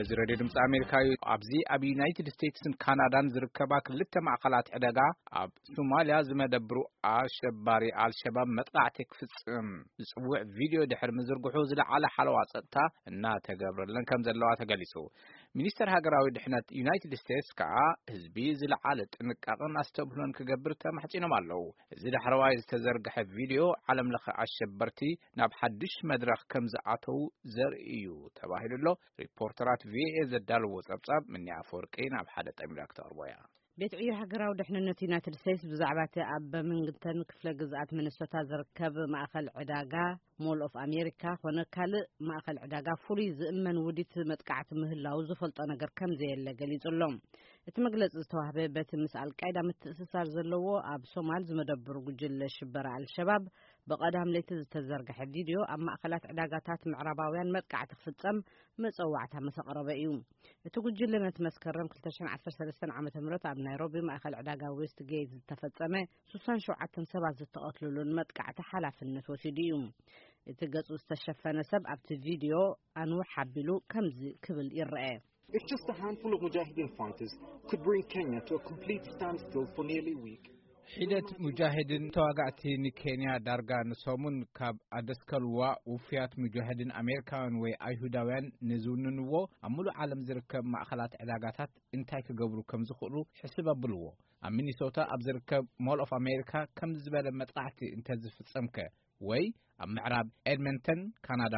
እዚ ሬድዮ ድምፂ ኣሜሪካ እዩ። ኣብዚ ኣብ ዩናይትድ ስቴትስን ካናዳን ዝርከባ ክልተ ማእኸላት ዕደጋ ኣብ ሶማልያ ዝመደብሩ ኣሸባሪ ኣልሸባብ መጥቃዕቲ ክፍፅም ዝፅውዕ ቪድዮ ድሕሪ ምዝርግሑ ዝለዓለ ሓለዋ ፀጥታ እናተገብረለን ከም ዘለዋ ተገሊፁ። ሚኒስተር ሃገራዊ ድሕነት ዩናይትድ ስቴትስ ከዓ ህዝቢ ዝለዓለ ጥንቃቕን ኣስተብህሎን ክገብር ተማሕፂኖም ኣለዉ። እዚ ዳሕረዋይ ዝተዘርግሐ ቪድዮ ዓለም ለኸ ኣሸበርቲ ናብ ሓድሽ መድረኽ ከም ዝኣተዉ ዘርኢ እዩ ተባሂሉ ኣሎ። ሪፖርተራት ቪኦኤ ዘዳለዎ ጸብጻብ ምንያ ኣፈወርቂ ናብ ሓደ ጠሚራ ክተቕርቦ እያ። ቤት ዕዮ ሃገራዊ ድሕንነት ዩናይትድ ስቴትስ ብዛዕባ እቲ ኣብ በርሚንግተን ክፍለ ግዝኣት ሚኒሶታ ዝርከብ ማእኸል ዕዳጋ ሞል ኦፍ ኣሜሪካ ኮነ ካልእ ማእኸል ዕዳጋ ፍሉይ ዝእመን ውዲት መጥቃዕቲ ምህላው ዝፈልጦ ነገር ከም ዘየለ ገሊጹ ኣሎ። እቲ መግለጺ ዝተዋህበ በቲ ምስ ኣልቃይዳ ምትእስሳር ዘለዎ ኣብ ሶማል ዝመደብሩ ጉጅለ ሽበራ ኣልሸባብ ብቐዳም ለይቲ ዝተዘርግሐ ቪድዮ ኣብ ማእኸላት ዕዳጋታት ምዕራባውያን መጥቃዕቲ ክፍጸም መጸዋዕታ ምስ ኣቕረበ እዩ። እቲ ጉጅለ ነቲ መስከረም ክልተ ሽሕን ዓሰርተ ሰለስተን ዓመተ ምህረት ኣብ ናይሮቢ ማእኸል ዕዳጋ ዌስት ጌት ዝተፈጸመ ሱሳን ሸውዓተን ሰባት ዝተቐትሉሉን መጥቃዕቲ ሓላፍነት ወሲዱ እዩ። እቲ ገጹ ዝተሸፈነ ሰብ ኣብቲ ቪድዮ ኣንውሕ ኣቢሉ ከምዚ ክብል ይረአ። If just a handful of Mujahideen fighters could bring Kenya to a complete standstill for nearly a week. ሒደት ሙጃሂድን ተዋጋእቲ ንኬንያ ዳርጋ ንሰሙን ካብ ኣደስከልዋ፣ ውፍያት ሙጃሂድን ኣሜሪካውያን ወይ ኣይሁዳውያን ንዝውንንዎ ኣብ ሙሉእ ዓለም ዝርከብ ማእኸላት ዕዳጋታት እንታይ ክገብሩ ከም ዝኽእሉ ሕስብ ኣብልዎ። ኣብ ሚኒሶታ ኣብ ዝርከብ ሞል ኦፍ ኣሜሪካ ከም ዝበለ መጥቃዕቲ እንተዝፍጸምከ፣ ወይ ኣብ ምዕራብ ኤድመንተን ካናዳ፣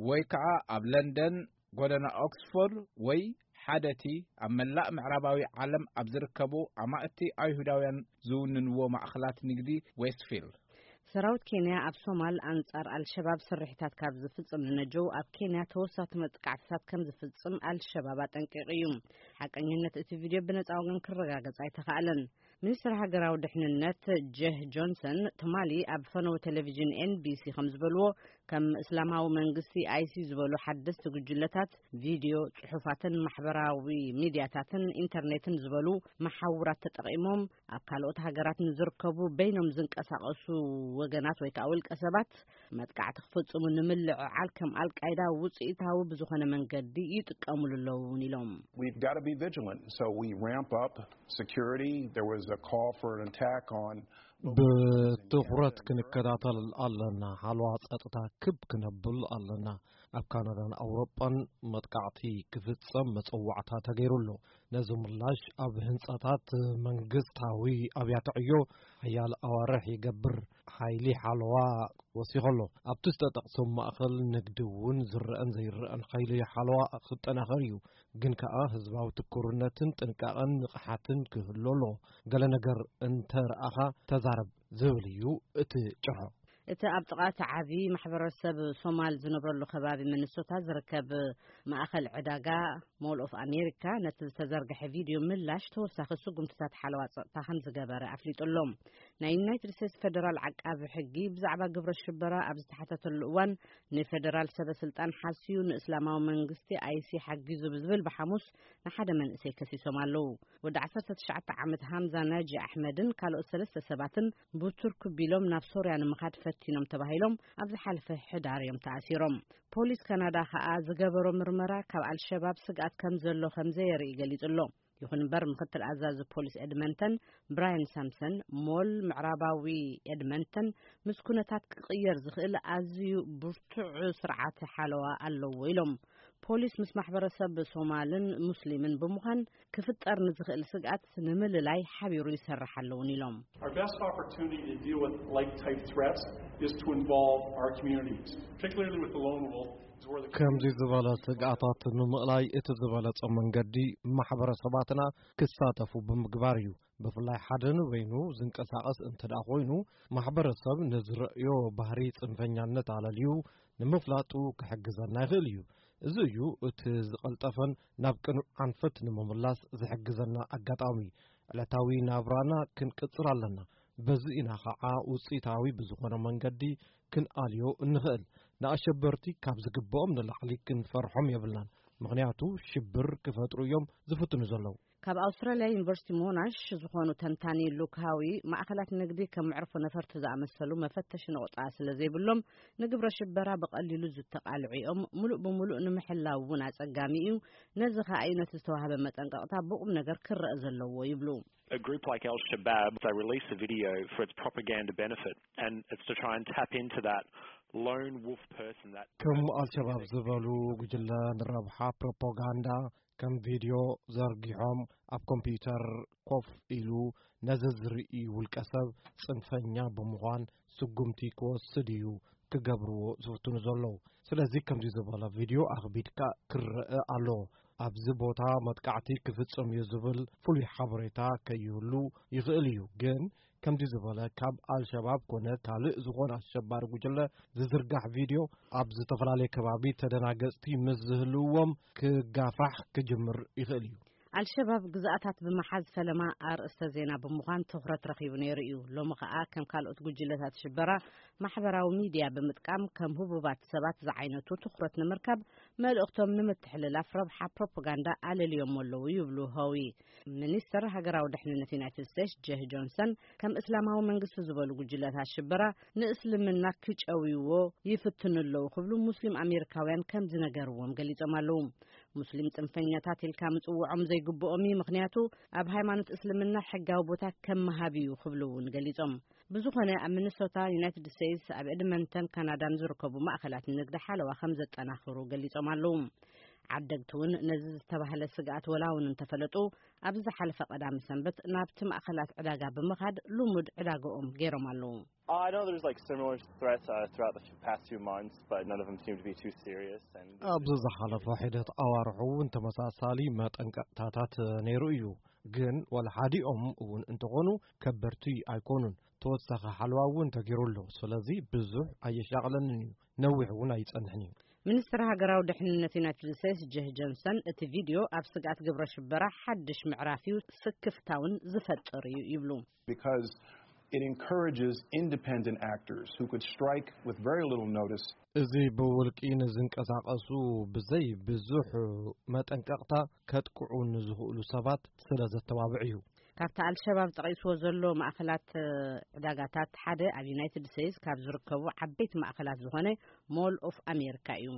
ወይ ከዓ ኣብ ለንደን ጎደና ኦክስፎርድ፣ ወይ ሓደቲ ኣብ መላእ ምዕራባዊ ዓለም ኣብ ዝርከቡ ኣማእቲ ኣይሁዳውያን ዝውንንዎ ማእኸላት ንግዲ ዌስትፊልድ። ሰራዊት ኬንያ ኣብ ሶማል ኣንጻር ኣልሸባብ ስርሒታት ካብ ዝፍጽም ንነጀው ኣብ ኬንያ ተወሳቲ መጥቃዕትታት ከም ዝፍጽም ኣልሸባብ ኣጠንቂቑ እዩ። ሓቀኝነት እቲ ቪድዮ ብነጻ ወገን ክረጋገጽ ኣይተኻእለን። ሚኒስትር ሃገራዊ ድሕንነት ጀህ ጆንሰን ትማሊ ኣብ ፈነወ ቴሌቪዥን ኤንቢሲ ከም ዝበልዎ፣ ከም እስላማዊ መንግስቲ ኣይሲ ዝበሉ ሓደስቲ ጉጅለታት ቪድዮ፣ ጽሑፋትን ማሕበራዊ ሚድያታትን ኢንተርኔትን ዝበሉ መሓውራት ተጠቒሞም ኣብ ካልኦት ሃገራት ንዝርከቡ በይኖም ዝንቀሳቐሱ ወገናት ወይ ከዓ ውልቀ ሰባት መጥቃዕቲ ክፍጽሙ ንምልዕዓል ከም ኣልቃይዳ ውጽኢታዊ ብዝኾነ መንገዲ ይጥቀሙሉ ኣለውን ኢሎም። We've got to be vigilant. So we ramp up security. There was a call for an attack on ብትኹረት ክንከታተል ኣለና። ሓለዋ ጸጥታ ክብ ክነብል ኣለና። ኣብ ካናዳን ኣውሮጳን መጥቃዕቲ ክፍጸም መጸዋዕታ ተገይሩ ኣሎ። ነዚ ምላሽ ኣብ ህንጻታት መንግስታዊ ኣብያተ ዕዮ ሓያል ኣዋርሕ ይገብር። ሓይሊ ሓለዋ ወሲኸ ኣሎ። ኣብቲ ዝተጠቕሶም ማእኸል ንግዲ እውን ዝረአን ዘይረአን ሓይሊ ሓለዋ ክጠናኸር እዩ። ግን ከኣ ህዝባዊ ትኩርነትን ጥንቃቐን ንቕሓትን ክህሉ ኣሎ። ገለ ነገር እንተ ረኣኻ ተዛረብ ዝብል እዩ እቲ ጭርሖ። እቲ ኣብ ጥቓ እቲ ዓቢ ማሕበረሰብ ሶማል ዝነብረሉ ከባቢ ሚኒሶታ ዝርከብ ማእኸል ዕዳጋ ሞል ኦፍ ኣሜሪካ ነቲ ዝተዘርግሐ ቪድዮ ምላሽ ተወሳኺ ስጉምትታት ሓለዋ ጸጥታ ከም ዝገበረ ኣፍሊጡ ኣሎ። ናይ ዩናይትድ ስቴትስ ፌደራል ዓቃቢ ሕጊ ብዛዕባ ግብረ ሽበራ ኣብ ዝተሓተተሉ እዋን ንፌደራል ሰበ ስልጣን ሓስዩ ንእስላማዊ መንግስቲ ኣይሲ ሓጊዙ ብዝብል ብሓሙስ ንሓደ መንእሰይ ከሲሶም ኣለዉ። ወዲ ዓሰርተ ትሽዓተ ዓመት ሃምዛ ናጂ ኣሕመድን ካልኦት ሰለስተ ሰባትን ብቱርክ ቢሎም ናብ ሶርያ ንምኻድ ፈቲኖም ተባሂሎም ኣብ ዝሓለፈ ሕዳር እዮም ተኣሲሮም። ፖሊስ ካናዳ ከኣ ዝገበሮ ምርመራ ካብ ኣልሸባብ ስግኣት ከም ዘሎ ከም ዘየርኢ ገሊጹ ኣሎ። ይኹን እምበር ምክትል ኣዛዚ ፖሊስ ኤድመንተን ብራያን ሳምሰን ሞል ምዕራባዊ ኤድመንተን ምስ ኩነታት ክቕየር ዝኽእል ኣዝዩ ብርቱዕ ስርዓት ሓለዋ ኣለዎ ኢሎም። ፖሊስ ምስ ማሕበረሰብ ሶማልን ሙስሊምን ብምዃን ክፍጠር ንዝኽእል ስግኣት ንምልላይ ሓቢሩ ይሰርሕ ኣለውን ኢሎም። Our best opportunity to deal with like type threats is to involve our communities, particularly with the lone wolf. Is where the ከምዚ ዝበለ ስግኣታት ንምእላይ እቲ ዝበለጸ መንገዲ ማሕበረሰባትና ክሳተፉ ብምግባር እዩ። ብፍላይ ሓደ ንበይኑ ዝንቀሳቐስ እንተ ደኣ ኮይኑ፣ ማሕበረሰብ ንዝረእዮ ባህሪ ጽንፈኛነት ኣለልዩ ንምፍላጡ ክሕግዘና ይኽእል እዩ። እዚ እዩ እቲ ዝቐልጠፈን ናብ ቅኑዕ ኣንፈት ንምምላስ ዝሕግዘና ኣጋጣሚ። ዕለታዊ ናብራና ክንቅጽል ኣለና። በዚ ኢና ኸዓ ውጽኢታዊ ብዝኾነ መንገዲ ክንኣልዮ እንኽእል። ንኣሸበርቲ ካብ ዝግብኦም ንላዕሊ ክንፈርሖም የብልናን። ምኽንያቱ ሽብር ክፈጥሩ እዮም ዝፍትኑ ዘለዉ። ካብ ኣውስትራልያ ዩኒቨርሲቲ ሞናሽ ዝኾኑ ተንታኒ ሉክ ሃዊ፣ ማእኸላት ንግዲ ከም መዕርፎ ነፈርቲ ዝኣመሰሉ መፈተሺ ነቑጣ ስለ ዘይብሎም፣ ንግብረ ሽበራ ብቐሊሉ ዝተቓልዑ እዮም። ምሉእ ብምሉእ ንምሕላው እውን ኣጸጋሚ እዩ። ነዚ ኸኣ እዩ ነቲ ዝተዋህበ መጠንቀቕታ ብቑም ነገር ክረአ ዘለዎ ይብሉ። A group like Al Shabaab, they release a video for its propaganda benefit, and it's to try and tap into that lone wolf person, that ከም ኣልሸባብ ዝበሉ ጉጅለ ንረብሓ ፕሮፓጋንዳ ከም ቪድዮ ዘርጊሖም ኣብ ኮምፒውተር ኮፍ ኢሉ ነዚ ዝርኢ ውልቀ ሰብ ጽንፈኛ ብምዃን ስጉምቲ ክወስድ እዩ ክገብርዎ ዝፍትኑ ዘለዉ። ስለዚ ከምዚ ዝበለ ቪድዮ ኣኽቢድካ ክረአ ኣሎ። ኣብዚ ቦታ መጥቃዕቲ ክፍጸም እዩ ዝብል ፍሉይ ሓበሬታ ከይህሉ ይኽእል እዩ። ግን ከምዚ ዝበለ ካብ ኣልሸባብ ኮነ ካልእ ዝኾነ ኣሸባሪ ጉጅለ ዝዝርጋሕ ቪድዮ ኣብ ዝተፈላለየ ከባቢ ተደናገጽቲ ምስ ዝህልውዎም ክጋፋሕ ክጅምር ይኽእል እዩ። ኣልሸባብ ግዝኣታት ብምሓዝ ፈለማ ኣርእስተ ዜና ብምዃን ትኹረት ረኺቡ ነይሩ እዩ። ሎሚ ኸኣ ከም ካልኦት ጉጅለታት ሽበራ ማሕበራዊ ሚድያ ብምጥቃም ከም ህቡባት ሰባት ዝዓይነቱ ትኹረት ንምርካብ መልእኽቶም ንምትሕልላፍ ረብሓ ፕሮፓጋንዳ ኣለልዮሞ ኣለዉ ይብሉ ሆዊ። ሚኒስተር ሃገራዊ ድሕንነት ዩናይትድ ስቴትስ ጀህ ጆንሰን ከም እስላማዊ መንግስቲ ዝበሉ ጉጅለታት ሽበራ ንእስልምና ክጨውይዎ ይፍትኑ ኣለዉ ክብሉ ሙስሊም ኣሜሪካውያን ከም ዝነገርዎም ገሊጾም ኣለዉ። ሙስሊም ጽንፈኛታት ኢልካ ምጽውዖም ዘይግብኦም እዩ፣ ምኽንያቱ ኣብ ሃይማኖት እስልምና ሕጋዊ ቦታ ከም ምሃብ እዩ ክብሉ እውን ገሊጾም። ብዝኾነ ኣብ ሚኒሶታ፣ ዩናይትድ ስቴትስ፣ ኣብ ኤድመንተን ካናዳን ዝርከቡ ማእኸላት ንግዲ ሓለዋ ከም ዘጠናኽሩ ገሊጾም ኣለዉ። ዓደግቲ እውን ነዚ ዝተባህለ ስግኣት ወላ እውን እንተፈለጡ፣ ኣብ ዝሓለፈ ቀዳሚ ሰንበት ናብቲ ማእኸላት ዕዳጋ ብምኻድ ልሙድ ዕዳጋኦም ገይሮም ኣለዉ። I know there's like similar threats uh, throughout the past few months, but none of them seem to be too serious. And ኣብዚ ዝሓለፈ ሒደት ኣዋርሑ እውን ተመሳሳሊ መጠንቀቕታታት ነይሩ እዩ። ግን ወላ ሓዲኦም እውን እንተኾኑ ከበድቲ ኣይኮኑን። ተወሳኺ ሓለዋ እውን ተገይሩ ኣሎ። ስለዚ ብዙሕ ኣየሻቕለንን እዩ። ነዊሕ እውን ኣይጸንሕን እዩ። ሚኒስትር ሃገራዊ ድሕንነት ዩናይትድ ስቴትስ ጀህ ጆንሰን፣ እቲ ቪድዮ ኣብ ስግኣት ግብረ ሽበራ ሓድሽ ምዕራፍ እዩ፣ ስክፍታውን ዝፈጥር እዩ ይብሉ። Because it encourages independent actors who could strike with very little notice. እዚ ብውልቂ ንዝንቀሳቐሱ ብዘይ ብዙሕ መጠንቀቕታ ከጥቅዑ ንዝኽእሉ ሰባት ስለ ዘተባብዕ እዩ። ካብቲ ኣልሸባብ ጠቒስዎ ዘሎ ማእኸላት ዕዳጋታት ሓደ ኣብ ዩናይትድ ስቴትስ ካብ ዝርከቡ ዓበይቲ ማእኸላት ዝኾነ ሞል ኦፍ ኣሜሪካ እዩ።